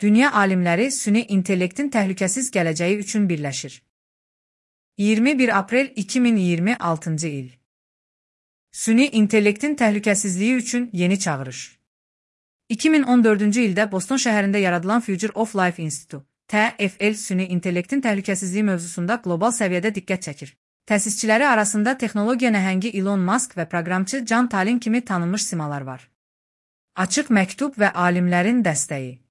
Dünya alimləri süni intellektin təhlükəsiz gələcəyi üçün birləşir. 21 aprel 2026-cı il. Süni intellektin təhlükəsizliyi üçün yeni çağırış. 2014-cü ildə Boston şəhərində yaradılan Future of Life Institute, TFL süni intellektin təhlükəsizliyi mövzusunda qlobal səviyyədə diqqət çəkir. Təsisçiləri arasında texnologiya nəhəngi Elon Musk və proqramçı Can Tallin kimi tanınmış simalar var. Açıq məktub və alimlərin dəstəyi.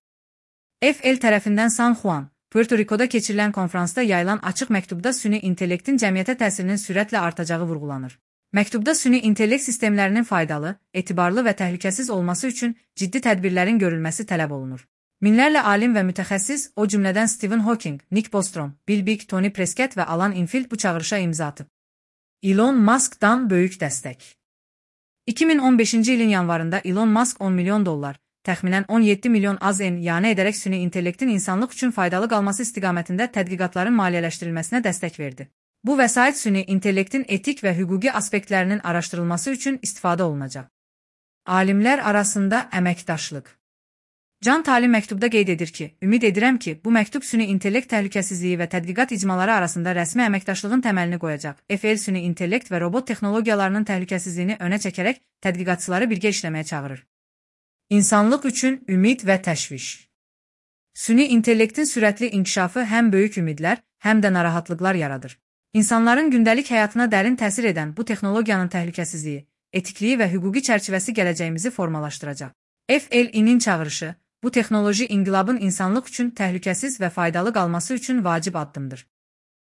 FL tərəfindən San Juan, Puerto Rico'da keçirilən konfransda yayılan açıq məktubda süni intellektin cəmiyyətə təsirinin sürətlə artacağı vurğulanır. Məktubda süni intellekt sistemlərinin faydalı, etibarlı və təhlükəsiz olması üçün ciddi tədbirlərin görülməsi tələb olunur. Minlərlə alim və mütəxəssis, o cümlədən Stephen Hawking, Nick Bostrom, Bill Big, Tony Prescott və Alan Infield bu çağırışa imza atıb. Elon Musk'dan böyük dəstək. 2015-ci ilin yanvarında Elon Musk $10 milyon, təxminən 17 milyon AZN yəni edərək süni intellektin insanlıq üçün faydalı qalması istiqamətində tədqiqatların maliyyələşdirilməsinə dəstək verdi. Bu vəsait süni intellektin etik və hüquqi aspektlərinin araşdırılması üçün istifadə olunacaq. Alimlər arasında əməkdaşlıq. Can Tallin məktubda qeyd edir ki, ümid edirəm ki, bu məktub süni intellekt təhlükəsizliyi və tədqiqat icmaları arasında rəsmi əməkdaşlığın təməlini qoyacaq. FL süni intellekt və robot texnologiyalarının təhlükəsizliyini önə çəkərək tədqiqatçıları birgə işləməyə çağırır. İnsanlıq üçün ümid və təşviş. Süni intellektin sürətli inkişafı həm böyük ümidlər, həm də narahatlıqlar yaradır. İnsanların gündəlik həyatına dərin təsir edən bu texnologiyanın təhlükəsizliyi, etikliyi və hüquqi çərçivəsi gələcəyimizi formalaşdıracaq. FL-nin çağırışı, bu texnoloji inqilabın insanlıq üçün təhlükəsiz və faydalı qalması üçün vacib addımdır.